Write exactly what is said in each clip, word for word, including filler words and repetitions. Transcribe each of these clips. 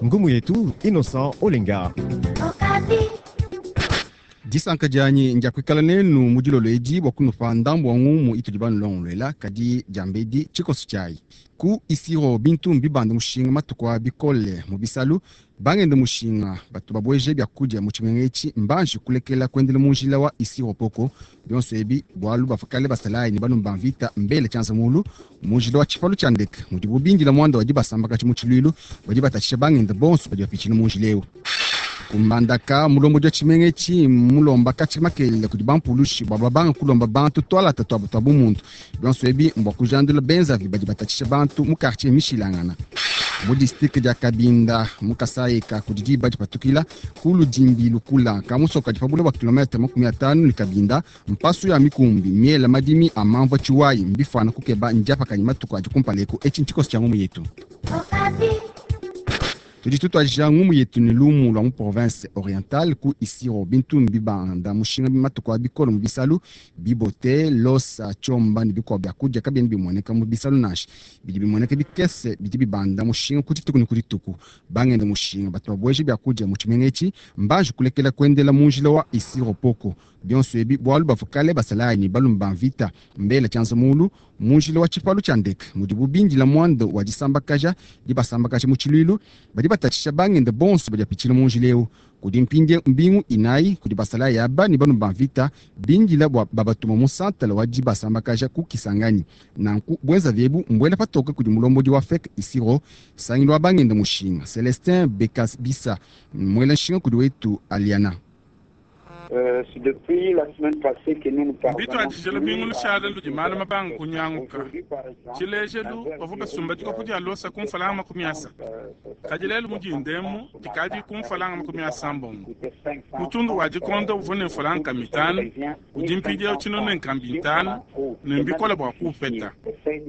Ngumu yetu Innocent Olenga. Disanka dianyi ndia kuikala nenu mu dilolo edi bua kunupa ndambu wa ngumu itudi banulongoluela, kadi diambedi tshikoso tshiayi. Ku Isiro bintu mbibanda mushinga matuku a bikole mu bisalu, bangenda mushinga batu babueje biakudia mu tshimenga etshi mbanji kulekela kuendela mu njila wa Isiro poko. Bionso ebi bualu bavua kale basalayi ne banumba mvita mbele tshianza mulu mu njila wa tshipalu tshia ndeke mudibu bindila muanda wa dibasambakaji mu tshiluilu badi batatshisha bangenda bonso badi bapitshila mu njila eu. Kumbandaka mulombodi wa tshimenga etshi mulomba katshi makelele kudi bampulushi bua babanga kulomba bantu tualata tuabu tua bumuntu. Bionso ebi mbua kujandula benzavi badi batatshisha bantu mu quartier mishilangana. Mu district dia Kabinda mu Kasayi ka kudi diba dipatukila ku Ludimbi Lukula ka musoka kadi pa bule bua kilometre makumi atanu ne Kabinda mpasu ya mikumbi miela madimi a mamvua tshiwayi mbifana kukeba ndiapakanyi matuku adi kumpala eku. Etshi ntshikoso tshia ngumu yetu. Tudi tutuadija ngumu yetu ne lumu lua mu province orientale ku Isiro bintu mbibanda mushinga matuku a bikole mu bisalu bibote losa tshiomba ne bikuabu biakudia kabiena bimueneka mu bisalu nansha bidi bimueneka bikese bidi bibanda mushinga ku dituku ne ku dituku. Bangenda mushinga batu babueje biakudia mu tshimenga etshi mbanji kulekela kuendela mu njila wa Isiro poko. Bionso ebi bualu bavua kale basalayi ne balume ba mvita mbele tshianza mulu mu njila wa tshipalu tshia ndeke mudibu bindila muanda wa disambakaja dibasambakaja mu tshiluilu badi batatshisha bangenda bonso badi bapitshila mu njila eu. Kudi mpindie mbingu inayi kudi basalayi aba ne balume ba mvita bindila bua babatuma mu santala wa dibasambakaja ku Kisangani. Nanku buenzavi ebu mbuela patoke kudi mulombodi wa FEC Isiro sangilu wa bangenda mushinga Celestin Bekasbisa muela nshinga kudi wetu Aliana. Mbituadije lubingu lushala ludi malu mabanga kunyanguka. Tshilejelu bavua basumba dikopo dia losa ku mfalanga makumi asatu, kadi lelu mudindemu dikadi ku mfalanga makumi asambombo. Mutundu wa dikonda uvua ne mfalanga mitanu, udi mpindieu tshino ne nkambi itanu ne mbikola bua kuupeta.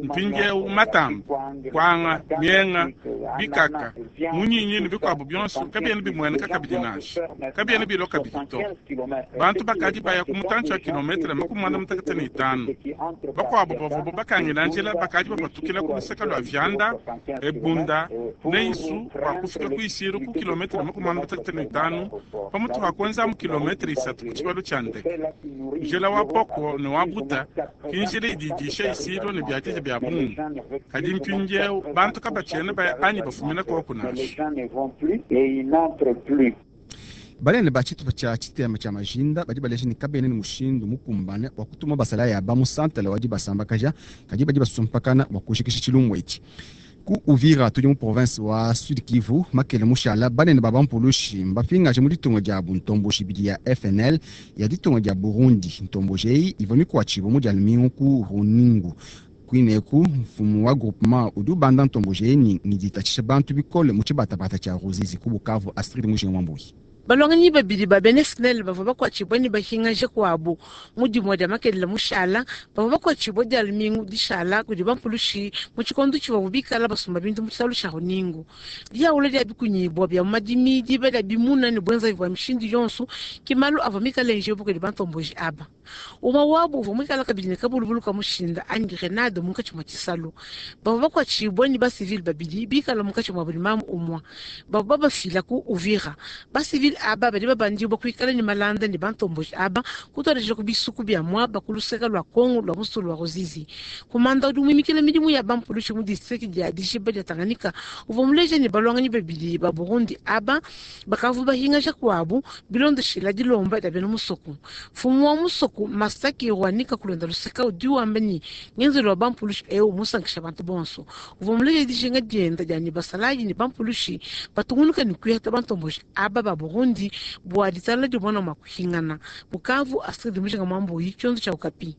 Mpindieu matamba, kwanga, mienga, bikaka, munyinyi ne bikuabu bionso kabiena bimueneka kabidi nansha, kabiena bilua kabidi to. Bantu bakadi baya ku mutantshi wa kilometre makumi muanda mutekete ne itanu. Bakuabu bavua bakangila njila bakadi bapatukila ku luseke lua Vianda, Ebunda ne Isu bua kufika ku Isiro ku kilometre makumi muanda mutekete ne itanu pamutu pa kuenza mu kilometre isatu ku tshibalu tshia ndeke. Njila wa Poko ne wa Buta ki njila idi idisha Isiro ne biadidia bia bungi, kadi mpindieu bantu kabatshiena baya anyi bafumina koku nansha. Banene ba tshitupa tshia tshitema tshia majinda badi baleja ne kabena ne mushindu mukumbane bua kutuma basalayi aba mu santala wa dibasambakaja, kadi badi basumpakana bua kujikisha tshilumbu etshi. Ku Uvira tudi mu province wa Sud Kivu makele mushala banene ba bampulushi mbapingaje mu ditunga diabu ntomboji ibidi ya F N L ya ditunga dia Burundi. Ntomboji eyi ivua mikuatshibue mu dia lumingu ku Runingu. Kuineku mfumu wa groupement udi ubanda ntomboji eyi ne ngiditatshisha bantu bikole mu tshibatabata tshia Ruzizi ku Bukavu. Astrid Mujinga Mwambuyi. Balonganyi babidi ba bena F N L bavua bakuatshibue ne bahingaje kuabu mu dimue dia makelela mushala, bavua bakuatshibue dia lumingu dishala kudi bampulushi mu tshikondo tshivuabu bikala basumba bintu mu tshisalu tshia Runingu. Diaula dia bikunyibua bia mu madimi, diba dia bimuna ne buenzavi bua mishindu yonso ke malu avua mikale njebu kudi bantomboji aba. Umue wabu uvua muikale kabidi ne kabulubulu ka mushinda anyi grenade munkatshi mua tshisalu. Bavua bakuatshibue ne basivile babidi bikala munkatshi mua buli mamu umue. Bavua babafila ku Uvira. Basivile aba badi babandibua kuikala ne malanda ne bantomboji aba kutuadija ku bisuku bia muaba ku luseke lua Kongo lua musulu wa Ruzizi. Kumanda udi muimikila midimu ya bampulushi mu district dia Dishiba dia Tanganyika uvua muleje ne balwanganyi babidi ba Burundi aba bakavua bahingaja kuabu bilondeshila dilomba dia bena musoko. Mfumu wa musoko Masaki Rwanika kulonda luseka udi wamba ne ngenzelu wa bampulushi eu musankisha bantu bonso. Uvua muleje dijinga dienda dia ne basalayi ne bampulushi batungunuka ne kuyata bantomboji aba ba Burundi bua ditala dimona mua kuhingana. Bukavu, Astrid Mujinga Mwambuyi, tshiondo tshia Okapi.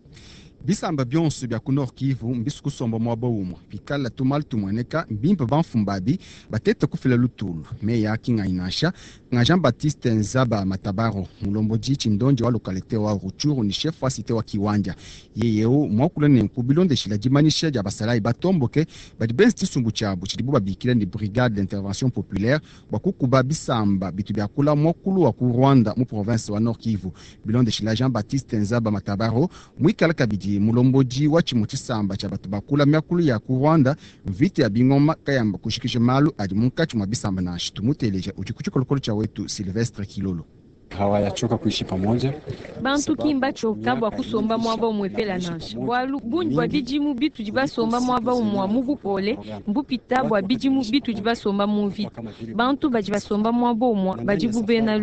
Bisamba bionso bia ku Nord Kivu mbisu kusomba muaba umue pikala tumalu tumueneka mbimpe bamfumbabi batete kufila lutulu meya kinganyi nansha nga Jean Baptiste Nzaba Matabaro mulombodi tshindonji wa localité wa Rutshuru ni chef wa cité wa Kiwanja yeyeu mwakula nenku bilondeshila dimanyisha dia basalayi batomboke badi benza tshisumbu tshiabu tshidibu babikila ne brigade d'intervention populaire bua kukuba bisamba bitu biakula mwakulu wa ku Rwanda mu province wa Nord Kivu bilondeshila Jean Baptiste Nzaba Matabaro muikala kabidi kudi mulombodi wa tshimue tshisamba tshia batu bakula miakulu ya ku Rwanda, mvita ya bingoma kayamba kushikisha malu adi munkatshi mua bisamba nansha. Tumuteleja udi ku tshikolokolo tshia wetu Sylvestre Kilolo. Hawayachoka kuishi pamoja. Bantu ki mbatshoka bua kusomba muaba umuepela nansha, bualu bungi bua bidimu bitudi basomba muaba umua mu bupole mbupita bua bidimu bitudi basomba mu mvita. Bantu badi basomba muaba umua badi bu bena